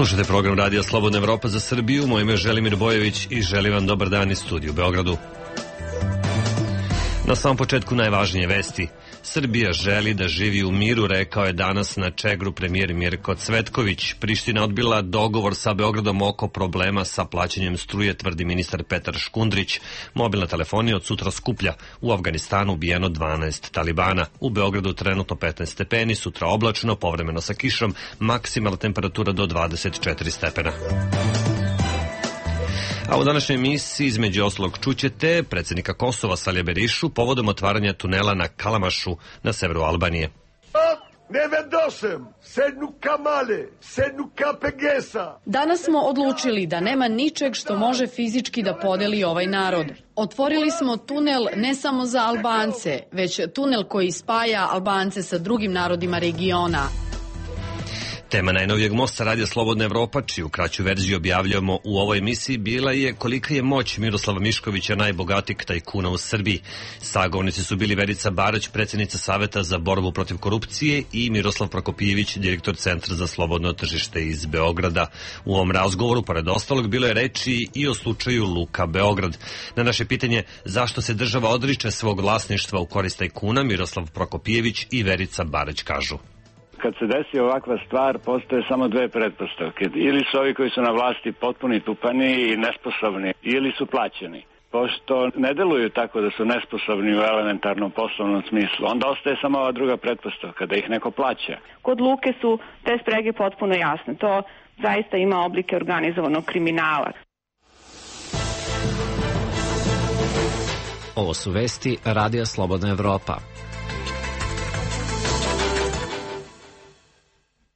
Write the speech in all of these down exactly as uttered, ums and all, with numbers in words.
Slušajte program Radija Slobodna Evropa za Srbiju. Moje ime je Želimir Bojević i želim vam dobar dan iz studiju u Beogradu. Na samom početku najvažnije vesti. Srbija želi da živi u miru, rekao je danas na Čegru premijer Mirko Cvetković. Priština odbila dogovor sa Beogradom oko problema sa plaćanjem struje, tvrdi ministar Petar Škundrić. Mobilna telefonija od sutra skuplja. U Afganistanu ubijeno dvanaest talibana. U Beogradu trenutno petnaest stepeni, sutra oblačno, povremeno sa kišom, maksimalna temperatura do dvadeset četiri stepena. A u današnjoj emisiji između ostalog čućete predsjednika Kosova Salija Berišu povodom otvaranja tunela na Kalamašu na severu Albanije. Ne vedosem, sednu kamale, sednu kapegesa. Danas smo odlučili da nema ničeg što može fizički da podeli ovaj narod. Otvorili smo tunel ne samo za Albance, već tunel koji spaja Albance sa drugim narodima regiona. Tema najnovijeg mosta Radija Slobodna Evropa, čiju kraću verziju objavljamo u ovoj emisiji, bila je kolika je moć Miroslava Miškovića, najbogatijeg tajkuna u Srbiji. Sagovornici su bili Verica Barać, predsjednica Saveta za borbu protiv korupcije, i Miroslav Prokopijević, direktor Centra za slobodno tržište iz Beograda. U ovom razgovoru, pored ostalog, bilo je reči i o slučaju Luka Beograd. Na naše pitanje zašto se država odriče svog vlasništva u korist tajkuna, Miroslav Prokopijević i Verica Barać kažu. Kad se desi ovakva stvar, postoje samo dve pretpostavke. Ili su ovi koji su na vlasti potpuni tupani i nesposobni, ili su plaćeni. Pošto ne deluju tako da su nesposobni u elementarnom poslovnom smislu, onda ostaje samo ova druga pretpostavka, da ih neko plaća. Kod Luke su te sprege potpuno jasne. To zaista ima oblike organizovanog kriminala. Ovo su vesti Radija Slobodna Evropa.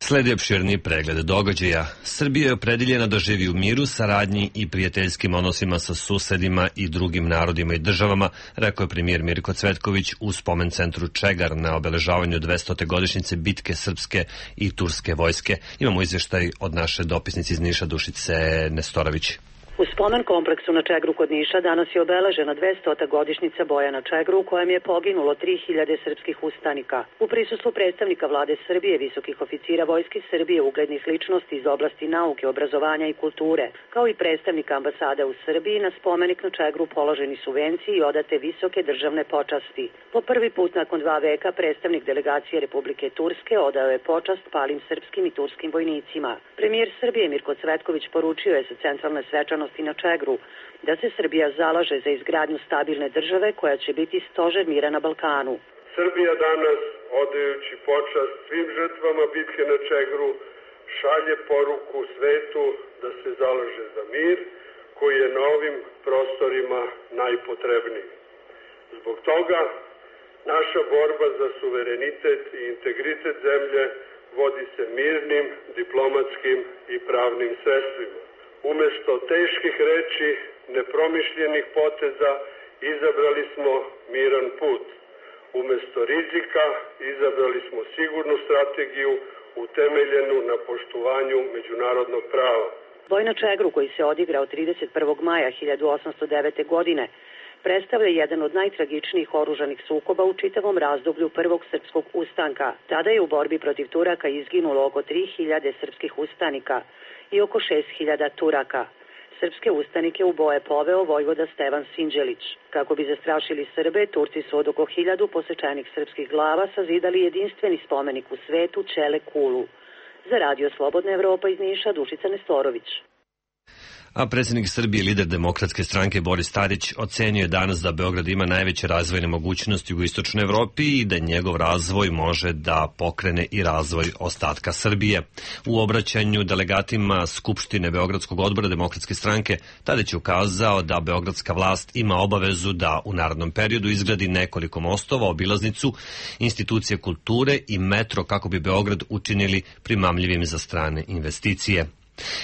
Sledi opširni pregled događaja. Srbija je opredeljena da živi u miru, saradnji i prijateljskim odnosima sa susedima i drugim narodima i državama, rekao je premijer Mirko Cvetković u spomen centru Čegar na obeležavanju dvestote godišnjice bitke srpske i turske vojske. Imamo izvještaj od naše dopisnice iz Niša, Dušice Nestorović. U spomen kompleksu na Čegru kod Niša danas je obeležena dvestota godišnjica boja na Čegru u kojem je poginulo tri hiljade srpskih ustanika. U prisustvu predstavnika vlade Srbije, visokih oficira Vojske Srbije, uglednih ličnosti iz oblasti nauke, obrazovanja i kulture, kao i predstavnika ambasade u Srbiji, na spomenik na Čegru položeni su venci i odate visoke državne počasti. Po prvi put nakon dva veka predstavnik delegacije Republike Turske odao je počast palim srpskim i turskim vojnicima. Premijer Srbije Mirko Cvetković poručio je sa centralne svečanosti na Čegru da se Srbija zalaže za izgradnju stabilne države koja će biti stožer mira na Balkanu. Srbija danas, odajući počast svim žrtvama bitke na Čegru, šalje poruku svetu da se zalaže za mir koji je na ovim prostorima najpotrebniji. Zbog toga naša borba za suverenitet i integritet zemlje vodi se mirnim, diplomatskim i pravnim sredstvima. Umesto teških reči, nepromišljenih poteza, izabrali smo miran put. Umesto rizika, izabrali smo sigurnu strategiju utemeljenu na poštovanju međunarodnog prava. Boj na Čegru, koji se odigrao trideset prvog maja hiljadu osamsto devete. godine, predstavlja jedan od najtragičnijih oružanih sukoba u čitavom razdoblju prvog srpskog ustanka. Tada je u borbi protiv Turaka izginulo oko tri hiljade srpskih ustanika i oko šest hiljada Turaka. Srpske ustanike u boje poveo vojvoda Stevan Sinđelić. Kako bi zastrašili Srbe, Turci su od oko hiljadu posečenih srpskih glava sazidali jedinstveni spomenik u svetu Čele Kulu. Za Radio Slobodna Evropa iz Niša, Dušica Nestorović. A predsjednik Srbije, lider Demokratske stranke Boris Tadić, ocenio je danas da Beograd ima najveće razvojne mogućnosti u istočnoj Evropi i da njegov razvoj može da pokrene i razvoj ostatka Srbije. U obraćanju delegatima Skupštine Beogradskog odbora Demokratske stranke, Tadić je ukazao da beogradska vlast ima obavezu da u narednom periodu izgradi nekoliko mostova, obilaznicu, institucije kulture i metro kako bi Beograd učinili primamljivim za strane investicije.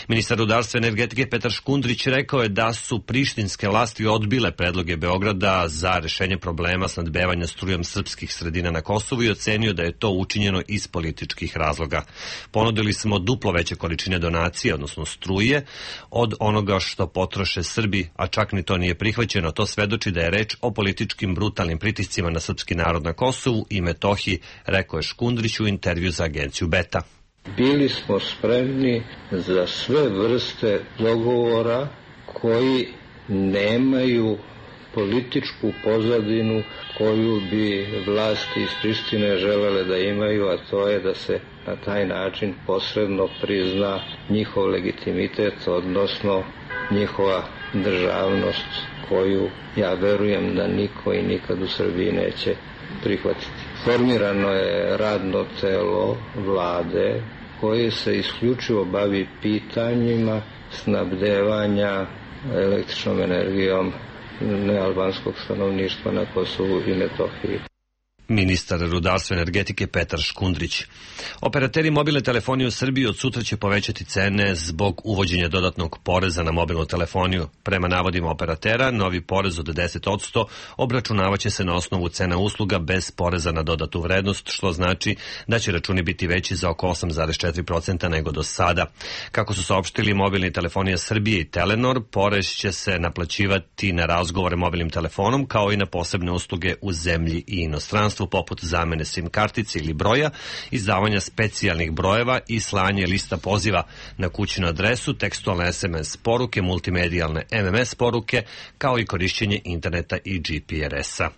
Ministar rudarstva i energetike Petar Škundrić rekao je da su prištinske vlasti odbile predloge Beograda za rešenje problema snabdevanja strujom srpskih sredina na Kosovu i ocenio da je to učinjeno iz političkih razloga. Ponudili smo duplo veće količine donacije, odnosno struje, od onoga što potroše Srbi, a čak ni to nije prihvaćeno. To svedoči da je reč o političkim brutalnim pritiscima na srpski narod na Kosovu i Metohiji, rekao je Škundrić u intervju za agenciju Beta. Bili smo spremni za sve vrste dogovora koji nemaju političku pozadinu koju bi vlasti iz Prištine želele da imaju, a to je da se na taj način posredno prizna njihov legitimitet, odnosno njihova državnost, koju ja verujem da niko i nikad u Srbiji neće prihvatiti. Formirano je radno telo vlade koje se isključivo bavi pitanjima snabdevanja električnom energijom nealbanskog stanovništva na Kosovu i Metohiji. Ministar rudarstva i energetike Petar Škundrić. Operateri mobilne telefonije u Srbiji od sutra će povećati cene zbog uvođenja dodatnog poreza na mobilnu telefoniju. Prema navodima operatera, novi porez od deset posto obračunavaće se na osnovu cena usluga bez poreza na dodatu vrednost, što znači da će računi biti veći za oko osam zarez četiri posto nego do sada. Kako su saopštili mobilni telefonija Srbije i Telenor, porez će se naplaćivati na razgovore mobilnim telefonom kao i na posebne usluge u zemlji i inostranstvu, poput zamene SIM kartice ili broja, izdavanja specijalnih brojeva i slanje lista poziva na kućnu adresu, tekstualne es em es poruke, multimedijalne em em es poruke, kao i korišćenje interneta i G P R S-a.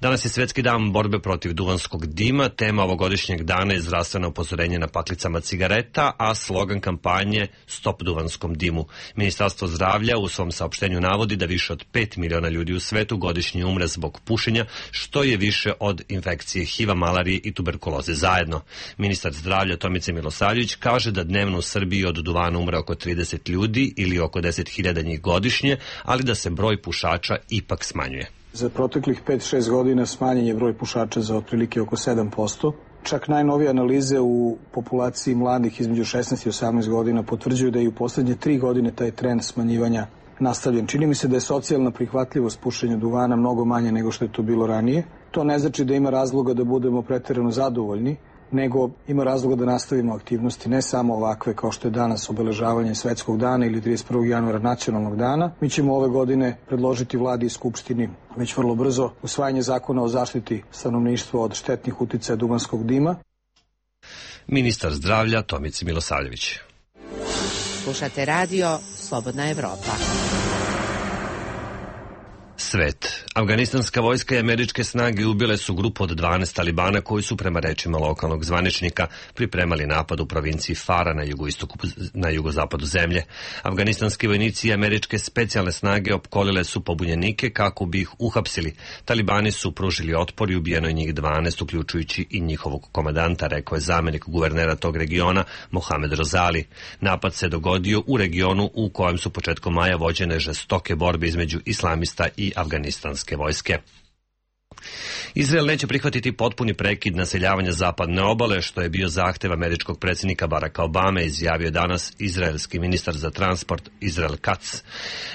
Danas je Svetski dan borbe protiv duvanskog dima. Tema ovogodišnjeg dana je zdravstveno upozorenje na paklicama cigareta, a slogan kampanje Stop duvanskom dimu. Ministarstvo zdravlja u svom saopštenju navodi da više od pet miliona ljudi u svetu godišnje umre zbog pušenja, što je više od infekcije H I V-a, malarije i tuberkuloze zajedno. Ministar zdravlja Tomica Milosavljević kaže da dnevno u Srbiji od duvana umre oko trideset ljudi ili oko deset hiljada njih godišnje, ali da se broj pušača ipak smanjuje. Za proteklih pet do šest godina smanjen je broj pušača za otprilike oko sedam posto. Čak najnovije analize u populaciji mladih između šesnaest i osamnaest godina potvrđuju da je u poslednje tri godine taj trend smanjivanja nastavljen. Čini mi se da je socijalna prihvatljivost pušenja duvana mnogo manje nego što je to bilo ranije. To ne znači da ima razloga da budemo preterano zadovoljni, nego ima razloga da nastavimo aktivnosti, ne samo ovakve kao što je danas obeležavanje Svetskog dana ili trideset prvog januara nacionalnog dana. Mi ćemo ove godine predložiti vladi i skupštini već vrlo brzo usvajanje zakona o zaštiti stanovništva od štetnih uticaja duvanskog dima. Ministar zdravlja Tomica Milosavljević. Slušate radio Slobodna Evropa. Svet. Afganistanska vojska i američke snage ubile su grupu od dvanaest talibana koji su, prema rečima lokalnog zvaničnika, pripremali napad u provinciji Fara na jugoistoku, na jugozapadu zemlje. Afganistanski vojnici i američke specijalne snage opkolile su pobunjenike kako bi ih uhapsili. Talibani su pružili otpor i ubijeno je njih dvanaest, uključujući i njihovog komandanta, rekao je zamenik guvernera tog regiona Mohamed Rozali. Napad se dogodio u regionu u kojem su početkom maja vođene žestoke borbe između islamista i afganistanske vojske. Izrael neće prihvatiti potpuni prekid naseljavanja zapadne obale, što je bio zahtev američkog predsjednika Baracka Obame, izjavio danas izraelski ministar za transport Israel Katz.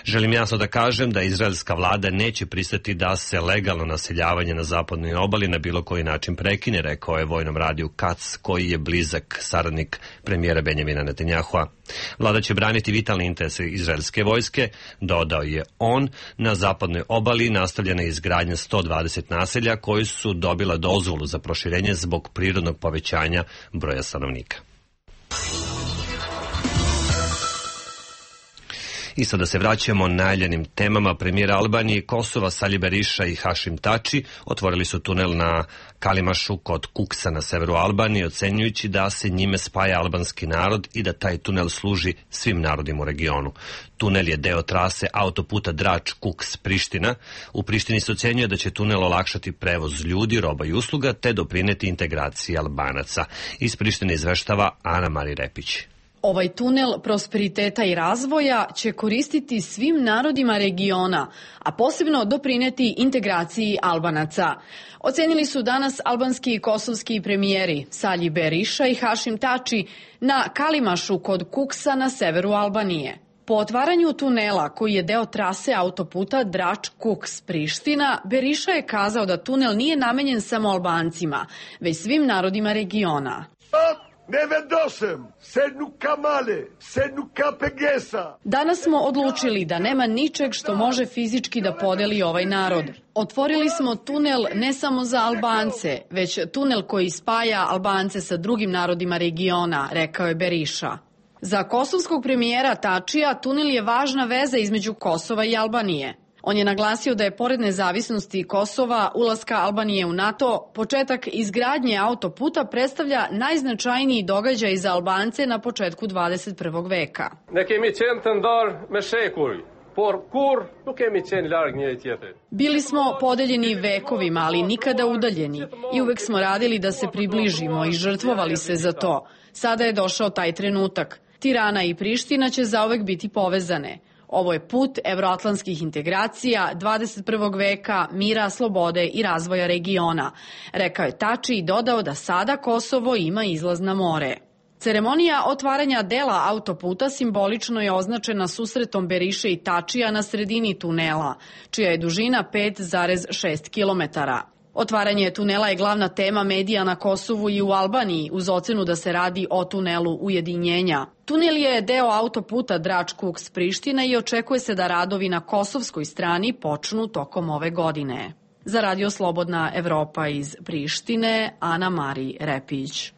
Želim jasno da kažem da izraelska vlada neće pristati da se legalno naseljavanje na zapadnoj obali na bilo koji način prekine, rekao je vojnom radiju Katz, koji je blizak saradnik premijera Benjamina Netanjahua. Vlada će braniti vitalne interese izraelske vojske, dodao je on. Na zapadnoj obali nastavljena je izgradnja sto dvadeset naselja koji su dobila dozvolu za proširenje zbog prirodnog povećanja broja stanovnika. I sada se vraćamo najavljenim temama. Premijer Albanije i Kosova Sali Berisha i Hašim Tači otvorili su tunel na Kalimašu kod Kuksa na severu Albanije, ocenjujući da se njime spaja albanski narod i da taj tunel služi svim narodima u regionu. Tunel je deo trase autoputa Drač-Kuks-Priština. U Prištini se ocenjuje da će tunel olakšati prevoz ljudi, roba i usluga te doprineti integraciji Albanaca. Iz Prištine izveštava Ana Mari Repić. Ovaj tunel prosperiteta i razvoja će koristiti svim narodima regiona, a posebno doprineti integraciji Albanaca. Ocenili su danas albanski i kosovski premijeri Sali Berisha i Hašim Tači na Kalimašu kod Kuksa na severu Albanije. Po otvaranju tunela, koji je deo trase autoputa Drač-Kuks-Priština, Berisha je kazao da tunel nije namenjen samo Albancima, već svim narodima regiona. ne vendosem, sednu kamale, sednu kapegesa. Danas smo odlučili da nema ničeg što može fizički da podeli ovaj narod. Otvorili smo tunel ne samo za Albance, već tunel koji spaja Albance sa drugim narodima regiona, rekao je Beriša. Za kosovskog premijera Tačija tunel je važna veza između Kosova i Albanije. On je naglasio da je pored nezavisnosti Kosova, ulaska Albanije u NATO, početak izgradnje autoputa predstavlja najznačajniji događaj za Albance na početku dvadeset prvog veka. Ne kemi qenë të ndarë me shekuj, por kur nuk kemi qenë larg njëri tjetrit. Bili smo podeljeni vekovima, ali nikada udaljeni. I uvek smo radili da se približimo i žrtvovali se za to. Sada je došao taj trenutak. Tirana i Priština će zauvek biti povezane. Ovo je put evroatlantskih integracija, dvadeset prvog veka, mira, slobode i razvoja regiona, rekao je Tači i dodao da sada Kosovo ima izlaz na more. Ceremonija otvaranja dela autoputa simbolično je označena susretom Beriše i Tačija na sredini tunela, čija je dužina pet zarez šest kilometara. Otvaranje tunela je glavna tema medija na Kosovu i u Albaniji, uz ocenu da se radi o tunelu ujedinjenja. Tunel je deo autoputa Drač-Kuks-Priština i očekuje se da radovi na kosovskoj strani počnu tokom ove godine. Za Radio Slobodna Evropa iz Prištine, Ana Mari Repić.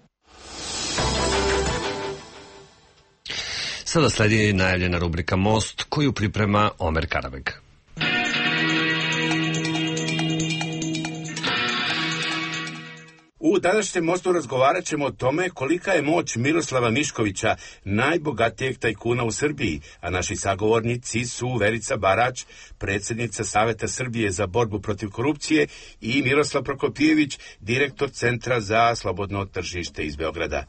Sada sledi najavljena rubrika Most, koju priprema Omer Karabeg. U današnjem Mostu razgovarat ćemo o tome kolika je moć Miroslava Miškovića, najbogatijeg tajkuna u Srbiji, a naši sagovornici su Verica Barać, predsjednica Saveta Srbije za borbu protiv korupcije, i Miroslav Prokopijević, direktor Centra za slobodno tržište iz Beograda.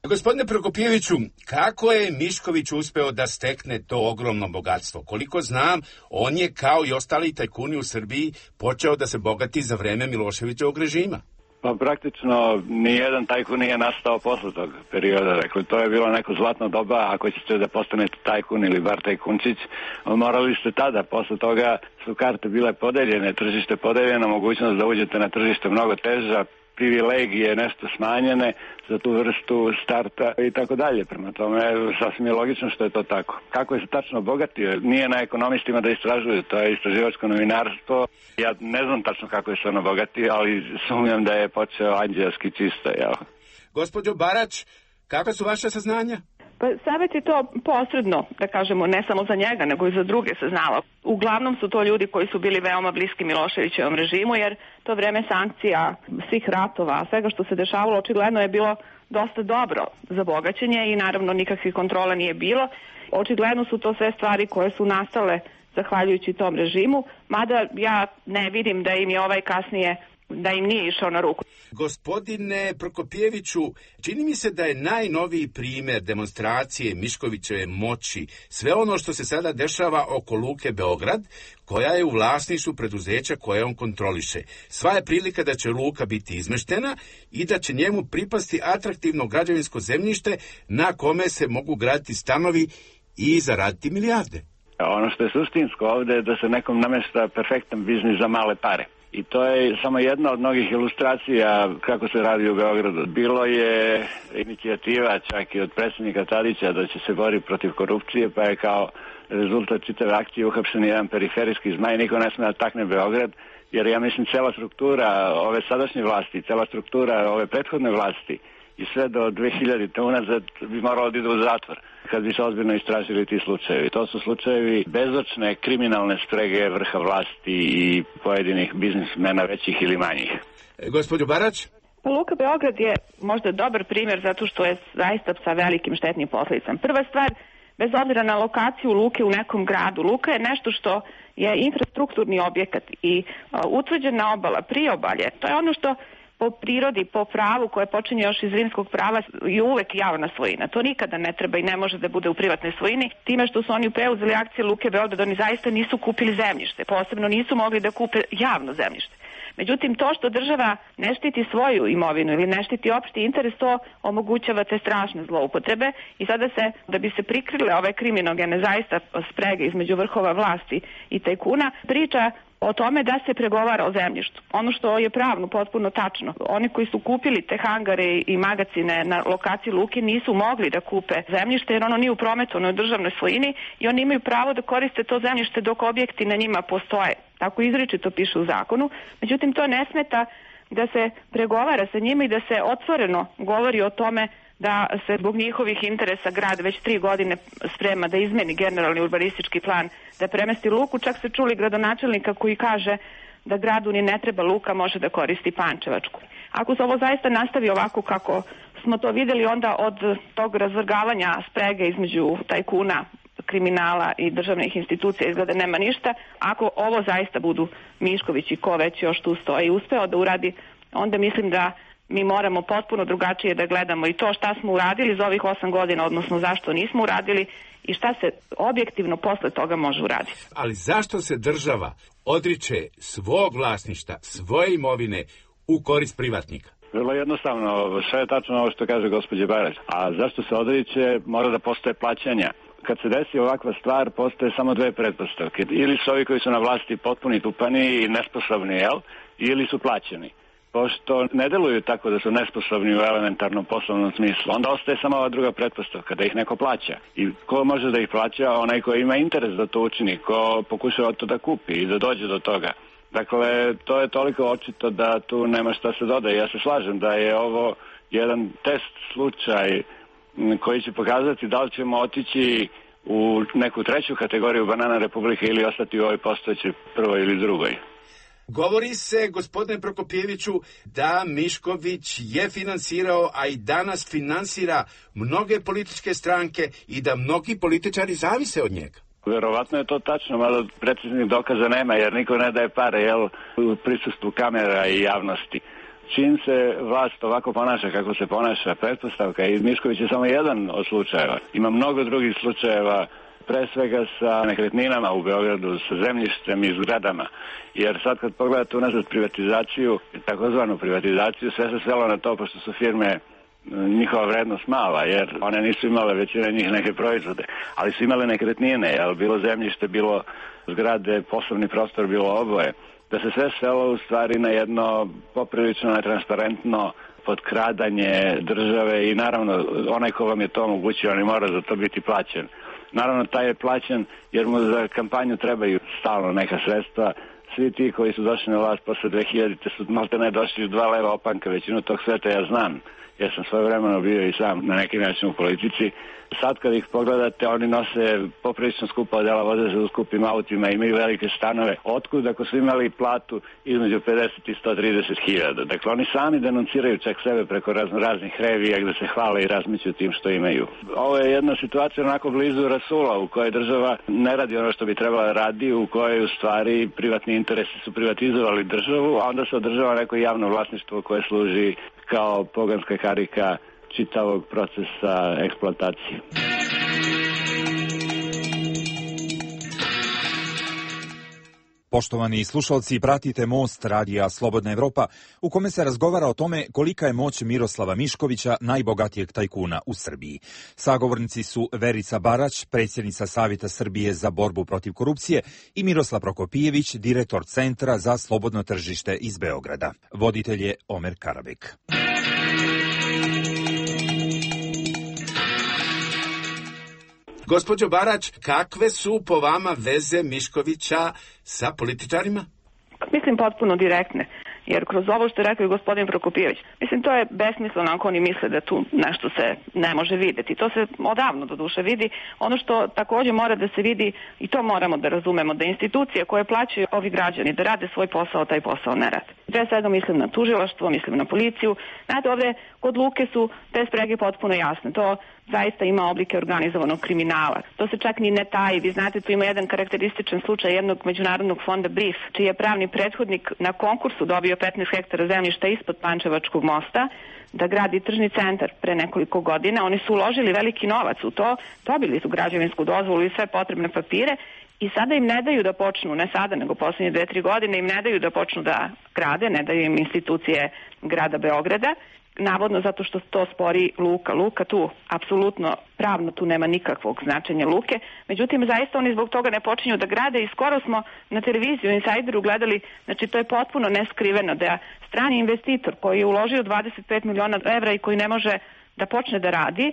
Gospodine Prokopijeviću, kako je Mišković uspeo da stekne to ogromno bogatstvo? Koliko znam, on je kao i ostali tajkuni u Srbiji počeo da se bogati za vreme Miloševićevog režima. Pa praktično nijedan tajkun nije nastao posle tog perioda. Dakle, to je bilo neko zlatno doba. Ako ćete da postanete tajkun ili bar tajkunčić, morali ste tada. Posle toga su karte bile podeljene, tržište podeljeno, mogućnost da uđete na tržište mnogo teža, privilegije nešto smanjene za tu vrstu starta i tako dalje. Prema tome, sasvim je logično što je to tako. Kako je se tačno obogatio? Nije na ekonomistima da istražuju, to je istraživačko novinarstvo. Ja ne znam tačno kako je se on obogatio, ali sumnjam da je počeo anđelski čisto. Jel? Gospođo Barać, kakva su vaše saznanja? Pa Savet je to posredno, da kažemo, ne samo za njega, nego i za druge saznalo. Uglavnom su to ljudi koji su bili veoma bliski Miloševićevom režimu, jer to vreme sankcija, svih ratova, svega što se dešavalo, očigledno je bilo dosta dobro za bogaćenje i naravno nikakvih kontrola nije bilo. Očigledno su to sve stvari koje su nastale zahvaljujući tom režimu, mada ja ne vidim da im je ovaj kasnije da im nije išao na ruku. Gospodine Prokopijeviću, čini mi se da je najnoviji primjer demonstracije Miškovićeve moći sve ono što se sada dešava oko Luke Beograd, koja je u vlasništvu preduzeća koje on kontroliše. Sva je prilika da će Luka biti izmeštena i da će njemu pripasti atraktivno građevinsko zemljište na kome se mogu graditi stanovi i zaraditi milijarde. Ono što je suštinsko ovde je da se nekom namešta perfektan biznis za male pare. I to je samo jedna od mnogih ilustracija kako se radi u Beogradu. Bilo je inicijativa čak i od predsjednika Tadića da će se boriti protiv korupcije, pa je kao rezultat čitave akcije uhapšen jedan periferijski zmaj. Niko ne sme da takne Beograd, jer ja mislim cela struktura ove sadašnje vlasti, cela struktura ove prethodne vlasti i sve do dve hiljadite unazad bi moralo da ide u zatvor kad bi se ozbiljno istražili ti slučajevi. To su slučajevi bezočne kriminalne sprege vrha vlasti i pojedinih biznismena većih ili manjih. E, Gospodin Barać? Pa Luka Beograd je možda dobar primjer zato što je zaista sa velikim štetnim posledicama. Prva stvar, bez obzira na lokaciju luke u nekom gradu, luka je nešto što je infrastrukturni objekat i uh, utvrđena obala, priobalje, to je ono što po prirodi, po pravu koje počinje još iz rimskog prava i uvek javna svojina. To nikada ne treba i ne može da bude u privatnoj svojini. Time što su oni preuzeli akcije Luke Beograd, oni zaista nisu kupili zemljište. Posebno nisu mogli da kupe javno zemljište. Međutim, to što država ne štiti svoju imovinu ili ne štiti opšti interes, to omogućava te strašne zloupotrebe i sada se, da bi se prikrile ove kriminogene zaista sprege između vrhova vlasti i tajkuna, priča o tome da se pregovara o zemljištu. Ono što je pravno potpuno tačno, oni koji su kupili te hangare i magacine na lokaciji luke nisu mogli da kupe zemljište jer ono nije u prometu, ono je u državnoj svojini i oni imaju pravo da koriste to zemljište dok objekti na njima postoje. Tako izričito piše u zakonu. Međutim, to ne smeta da se pregovara sa njima i da se otvoreno govori o tome da se zbog njihovih interesa grad već tri godine sprema da izmeni generalni urbanistički plan, da premesti luku. Čak se čuli gradonačelnika koji kaže da gradu ni ne treba luka, može da koristi Pančevačku. Ako se ovo zaista nastavi ovako kako smo to videli, onda od tog razvrgavanja sprege između tajkuna, kriminala i državnih institucija izgleda nema ništa. Ako ovo zaista budu Mišković i ko već još tu stoji uspeo da uradi, onda mislim da mi moramo potpuno drugačije da gledamo i to šta smo uradili za ovih osam godina, odnosno zašto nismo uradili i šta se objektivno posle toga može uraditi. Ali zašto se država odriče svog vlasništva, svoje imovine u korist privatnika? Vrlo jednostavno, sve je tačno ovo što kaže gospođa Barać. A zašto se odriče? Mora da postoje plaćanja. Kad se desi ovakva stvar, postoje samo dve pretpostavke. Ili su ovi koji su na vlasti potpuni tupani i nesposobni, jel? Ili su plaćeni. Pošto ne deluju tako da su nesposobni u elementarnom poslovnom smislu, onda ostaje samo ova druga pretpostavka, da ih neko plaća. I ko može da ih plaća? Onaj ko ima interes da to učini, ko pokušava to da kupi i da dođe do toga. Dakle, to je toliko očito da tu nema šta se dodaje. Ja se slažem da je ovo jedan test slučaj koji će pokazati da li ćemo otići u neku treću kategoriju banana republike ili ostati u ovoj postojećoj prvoj ili drugoj. Govori se, gospodine Prokopijeviću, da Mišković je finansirao, a i danas finansira mnoge političke stranke i da mnogi političari zavise od njega. Verovatno je to tačno, malo preciznih dokaza nema, jer niko ne daje pare, jel, u prisustvu kamera i javnosti. Čim se vlast ovako ponaša kako se ponaša, pretpostavka, i Mišković je samo jedan od slučajeva. Ima mnogo drugih slučajeva, pre svega sa nekretninama u Beogradu, sa zemljištem i zgradama. Jer sad kad pogledate unazad privatizaciju, takozvanu privatizaciju, sve se svelo na to, pošto su firme, njihova vrednost mala, jer one nisu imale većina njih neke proizvode, ali su imale nekretnine, jel, bilo zemljište, bilo zgrade, poslovni prostor, bilo oboje. Da se sve svelo u stvari na jedno poprilično netransparentno potkradanje države i naravno onaj ko vam je to omogućio, on i mora za to biti plaćen. Naravno, taj je plaćen jer mu za kampanju trebaju stalno neka sredstva. Svi ti koji su došli na vlast posle dve hiljadite su malte ne došli u dva leva opanka, većinu tog sveta ja znam, jer sam svoje vremeno bio i sam na neki način u politici. Sad kad ih pogledate, oni nose poprilično skupa odela, voze se u skupim autima, imaju velike stanove. Otkud ako su imali platu između pedeset i sto trideset hiljada? Dakle, oni sami denunciraju čak sebe preko razno, raznih revija gde se hvale i razmiću tim što imaju. Ovo je jedna situacija onako blizu Rasula u kojoj država ne radi ono što bi trebala da radi, u kojoj u stvari privatni interesi su privatizovali državu, a onda se održava neko javno vlasništvo koje služi kao poganska karika čitavog procesa eksploatacije. Poštovani slušalci, pratite Most radija Slobodna Evropa, u kome se razgovara o tome kolika je moć Miroslava Miškovića, najbogatijeg tajkuna u Srbiji. Sagovornici su Verica Barać, predsjednica Savjeta Srbije za borbu protiv korupcije, i Miroslav Prokopijević, direktor Centra za slobodno tržište iz Beograda. Voditelj je Omer Karabek. Gospođo Barać, kakve su po vama veze Miškovića sa političarima? Mislim potpuno direktne, jer kroz ovo što je rekao i gospodin Prokopijević, mislim to je besmisleno ako oni misle da tu nešto se ne može videti. To se odavno do duše vidi. Ono što također mora da se vidi, i to moramo da razumemo, da institucije koje plaćaju ovi građani da rade svoj posao, taj posao ne rade. Pre svega mislim na tužilaštvo, mislim na policiju. Znate, ovde kod Luke su te sprege potpuno jasne. To zaista ima oblike organizovanog kriminala. To se čak ni ne taji. Vi znate, tu ima jedan karakterističan slučaj jednog međunarodnog fonda Brief, čiji je pravni prethodnik na konkursu dobio petnaest hektara zemljišta ispod Pančevačkog mosta da gradi tržni centar pre nekoliko godina. Oni su uložili veliki novac u to, dobili su građevinsku dozvolu i sve potrebne papire i sada im ne daju da počnu, ne sada, nego poslednje dve, tri godine im ne daju da počnu da grade, ne daju im institucije grada Beograda. navodno zato što to spori luka. Luka tu, apsolutno, pravno tu nema nikakvog značenja luke, međutim zaista oni zbog toga ne počinju da grade i skoro smo na televiziju Insajderu gledali, znači to je potpuno neskriveno da strani investitor koji je uložio dvadeset pet miliona evra i koji ne može da počne da radi,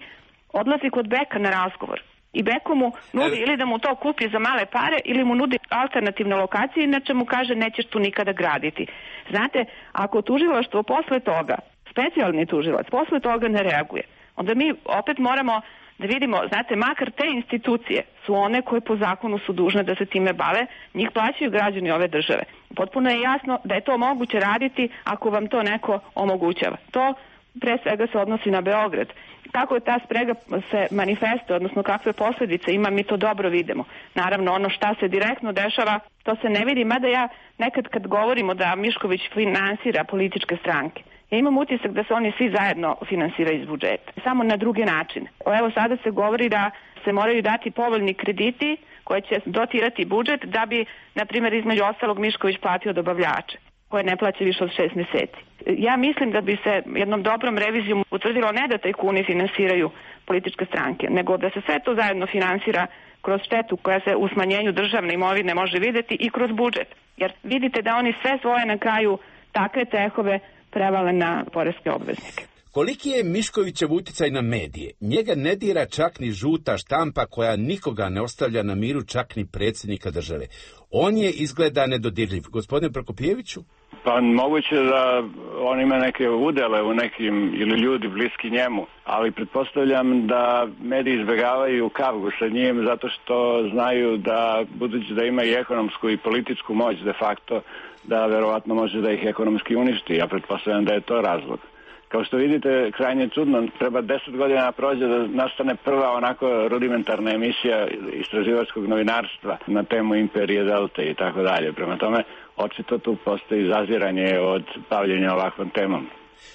odlazi kod Beka na razgovor. I Beko mu nudi ili da mu to kupi za male pare ili mu nudi alternativne lokacije, inače mu kaže nećeš tu nikada graditi. Znate, ako tužilaštvo posle toga, specijalni tužilac, posle toga ne reaguje, onda mi opet moramo da vidimo, znate, makar te institucije su one koje po zakonu su dužne da se time bave, njih plaćaju građani ove države. Potpuno je jasno da je to moguće raditi ako vam to neko omogućava. To pre svega se odnosi na Beograd. Kako je ta sprega se manifestuje, odnosno kakve posljedice ima, mi to dobro vidimo. Naravno, ono šta se direktno dešava, to se ne vidi, mada ja nekad kad govorimo da Mišković finansira političke stranke, ja imam utisak da se oni svi zajedno finansiraju iz budžeta, samo na druge načine. Evo sada se govori da se moraju dati povoljni krediti koje će dotirati budžet da bi, na primjer, između ostalog Mišković platio dobavljače koje ne plaća više od šest mjeseci. Ja mislim da bi se jednom dobrom revizijom utvrdilo ne da tajkuni finansiraju političke stranke, nego da se sve to zajedno finansira kroz štetu koja se u smanjenju državne imovine može vidjeti i kroz budžet. Jer vidite da oni sve svoje na kraju takve tehove prevale na poreske obveznike. Koliki je Miškovićev uticaj na medije? Njega ne dira čak ni žuta štampa koja nikoga ne ostavlja na miru, čak ni predsjednika države. On je izgleda nedodirljiv. Gospodine Prokopijeviću? Pa moguće da on ima neke udele u nekim ili ljudi bliski njemu, ali pretpostavljam da mediji izbjegavaju kavgu sa njim zato što znaju da, budući da ima i ekonomsku i političku moć de facto, da verovatno može da ih ekonomski uništi. Ja pretpostavljam da je to razlog. Kao što vidite, krajnje čudno, treba deset godina prođe da nastane prva onako rudimentarna emisija istraživačkog novinarstva na temu Imperije Delte i tako dalje. Prema tome, očito tu postoji zaziranje od bavljenja ovakvom temom.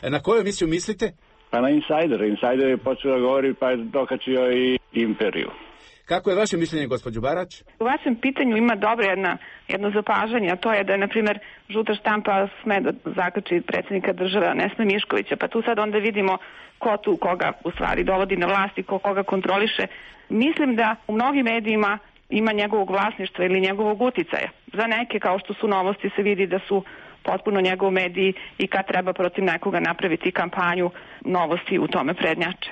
E na koju emisiju mislite? Pa na Insider. Insider je počeo da govori pa je dokačio i Imperiju. Kako je vaše mišljenje, gospođo Barać? U vašem pitanju ima dobro jedna, jedno zapažanje, a to je da je, na primjer, žuta štampa sme da zakači predsjednika države, a ne sme Miškovića, pa tu sad onda vidimo ko tu koga u stvari dovodi na vlast i ko koga kontroliše. Mislim da u mnogim medijima ima njegovog vlasništva ili njegovog uticaja. Za neke, kao što su Novosti, se vidi da su potpuno njegov mediji i kad treba protiv nekoga napraviti kampanju, Novosti u tome prednjače.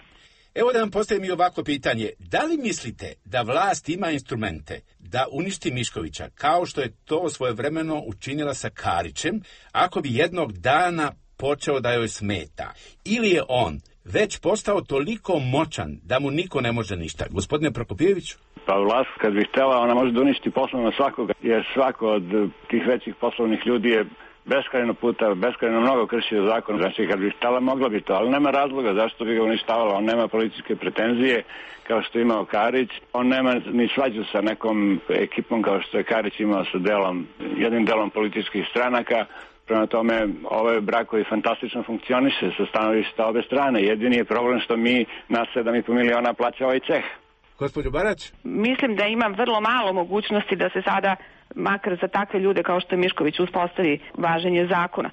Evo da vam postavim i ovako pitanje. Da li mislite da vlast ima instrumente da uništi Miškovića, kao što je to svojevremeno učinila sa Karićem, ako bi jednog dana počeo da joj smeta? Ili je on već postao toliko moćan da mu niko ne može ništa? Gospodine Prokopijeviću? Pa vlast, kad bi htjela, ona može da uništi poslovno svakoga, jer svako od tih većih poslovnih ljudi je beskrajno puta, beskrajno mnogo kršio zakon. Znači, kad bi htjela, mogla bi to, ali nema razloga zašto bi ga uništavala. On nema političke pretenzije kao što je imao Karić. On nema ni svađu sa nekom ekipom kao što je Karić imao sa delom, jednim delom političkih stranaka. Prema tome, ovaj brak koji fantastično funkcioniše sa stanovišta obe strane. Jedini je problem što mi na sedam i po miliona plaća ovaj ceh. Gospođo Barać? Mislim da ima vrlo malo mogućnosti da se sada, makar za takve ljude kao što je Mišković, uspostavi važenje zakona.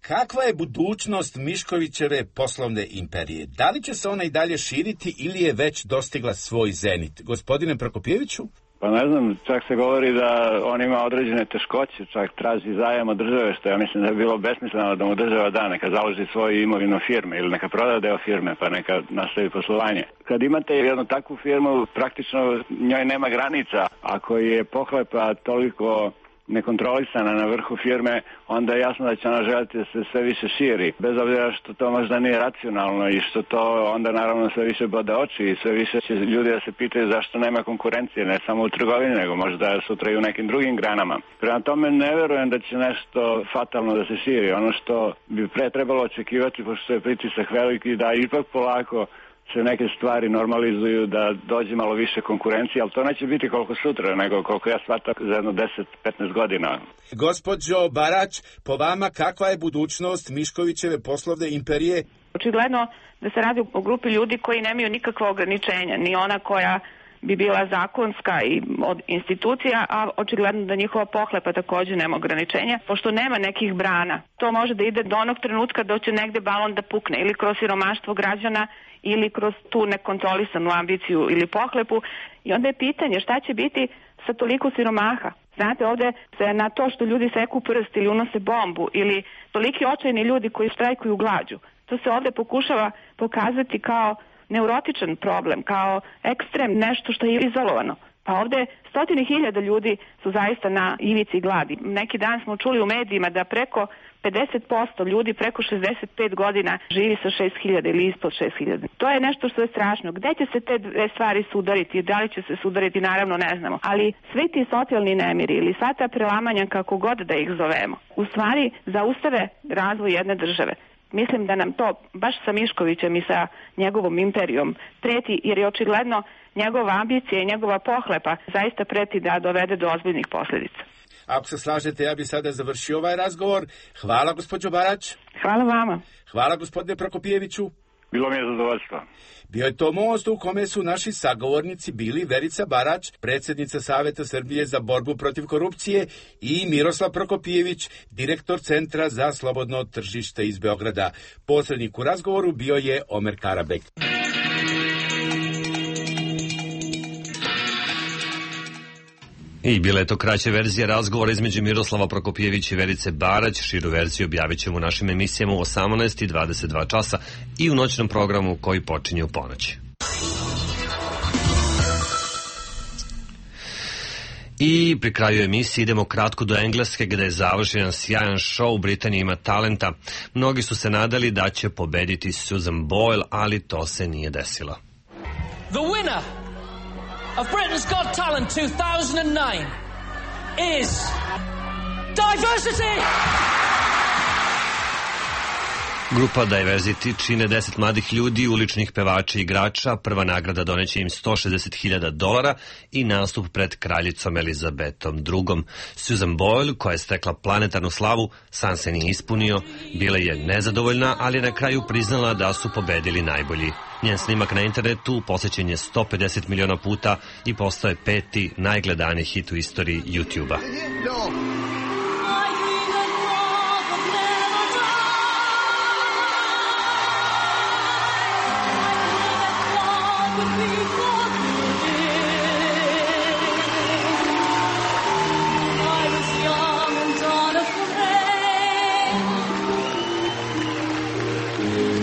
Kakva je budućnost Miškovićeve poslovne imperije? Da li će se ona i dalje širiti ili je već dostigla svoj zenit? Gospodine Prokopijeviću? Pa ne znam, čak se govori da on ima određene teškoće, čak traži zajam od države, što ja mislim da je bilo besmisleno da mu država da, neka založi svoju imovinu firme ili neka proda deo firme pa neka nastavi poslovanje. Kad imate jednu takvu firmu, praktično njoj nema granica. Ako je pohlepa toliko nekontrolisana na vrhu firme, onda je jasno da će ona želiti da se sve više širi. Bez obzira što to možda nije racionalno i što to onda naravno sve više bode oči i sve više će ljudi da se pitaju zašto nema konkurencije, ne samo u trgovini, nego možda sutra i u nekim drugim granama. Prema tome ne verujem da će nešto fatalno da se širi. Ono što bi pre trebalo očekivati, pošto je pritisak veliki, da ipak polako se neke stvari normalizuju, da dođe malo više konkurencije, ali to neće biti koliko sutra, nego koliko ja shvatam za jedno deset do petnaest godina. Gospođo Barać, po vama kakva je budućnost Miškovićeve poslovne imperije? Očigledno da se radi o grupi ljudi koji nemaju nikakva ograničenja, ni ona koja bi bila zakonska i od institucija, a očigledno da njihova pohlepa takođe nema ograničenja, pošto nema nekih brana. To može da ide do onog trenutka da će negde balon da pukne, ili kroz siromaštvo građana, ili kroz tu nekontrolisanu ambiciju ili pohlepu. I onda je pitanje šta će biti sa toliko siromaha. Znate, ovde se na to što ljudi seku prst ili unose bombu ili toliki očajni ljudi koji štrajkuju glađu, to se ovde pokušava pokazati kao neurotičan problem, kao ekstrem, nešto što je izolovano. Pa ovde stotine hiljada ljudi su zaista na ivici gladi. Neki dan smo čuli u medijima da preko pedeset posto ljudi preko šezdeset pet godina živi sa šest hiljada ili ispod šest hiljada. To je nešto što je strašno. Gde će se te dve stvari sudariti? Da li će se sudariti? Naravno ne znamo. Ali svi ti socijalni nemiri ili sva ta prelamanja, kako god da ih zovemo, u stvari zaustave razvoj jedne države. Mislim da nam to baš sa Miškovićem i sa njegovom imperijom preti, jer je očigledno njegova ambicija i njegova pohlepa zaista preti da dovede do ozbiljnih posljedica. Ako se slažete, ja bih sada završio ovaj razgovor. Hvala, gospođo Barać. Hvala vama. Hvala, gospodine Prokopijeviću. Bilo mi je zadovoljstvo. Bio je to most u kome su naši sagovornici bili Verica Barać, predsjednica Saveta Srbije za borbu protiv korupcije, i Miroslav Prokopijević, direktor Centra za slobodno tržište iz Beograda. Posrednik u razgovoru bio je Omer Karabek. I bila je to kraća verzija razgovora između Miroslava Prokopijevića i Verice Barać. Širu verziju objavit ćemo u našim emisijama u osamnaest i dvadeset dva časa i u noćnom programu koji počinje u ponoć. I pri kraju emisije idemo kratko do Engleske, gde je završen sjajan show. Britanija ima talenta. Mnogi su se nadali da će pobediti Susan Boyle, ali to se nije desilo. The winner of Britain's Got Talent two thousand nine is Diversity! Grupa Diversity čine deset mladih ljudi, uličnih pevača i igrača. Prva nagrada doneće im sto šezdeset hiljada dolara i nastup pred kraljicom Elizabetom drugom. Susan Boyle, koja je stekla planetarnu slavu, san se nije ispunio. Bila je nezadovoljna, ali je na kraju priznala da su pobedili najbolji. Njen snimak na internetu posjećen je sto pedeset miliona puta i postao je peti najgledaniji hit u istoriji YouTube-a.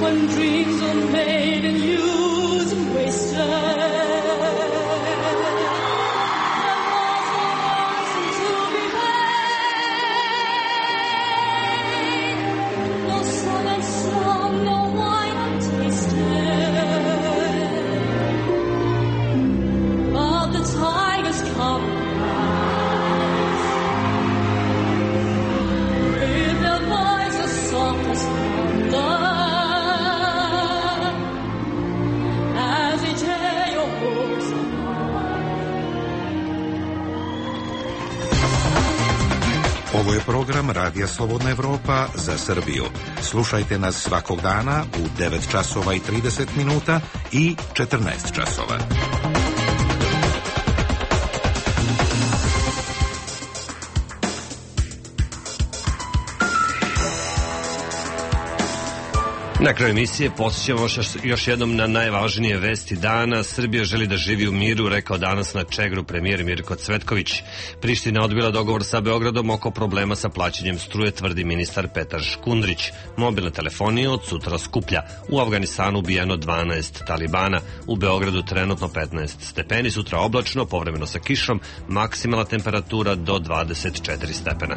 When dreams are made and used and wasted, there was no ransom to be paid, no sun and song, no wine untasted, but the tigers come with their voices soft as thunder. Ovo je program Radija Slobodna Evropa za Srbiju. Slušajte nas svakog dana u devet časova i trideset minuta i četrnaest časova. Na kraju emisije posjećamo još jednom na najvažnije vesti dana. Srbija želi da živi u miru, rekao danas na Čegru premijer Mirko Cvetković. Priština odbila dogovor sa Beogradom oko problema sa plaćanjem struje, tvrdi ministar Petar Škundrić. Mobilna telefonija od sutra skuplja. U Afganistanu ubijeno dvanaest talibana. U Beogradu trenutno petnaest stepeni, sutra oblačno, povremeno sa kišom, maksimalna temperatura do dvadeset četiri stepena.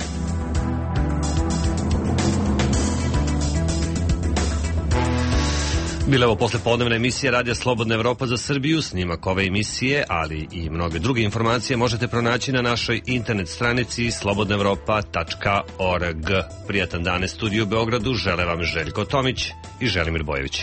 Bila ovo poslepodnevna emisija Radija Slobodna Evropa za Srbiju. Snimak ove emisije, ali i mnoge druge informacije možete pronaći na našoj internet stranici slobodna evropa tačka org. Prijatan dan iz studiju u Beogradu žele vam Željko Tomić i Želimir Bojević.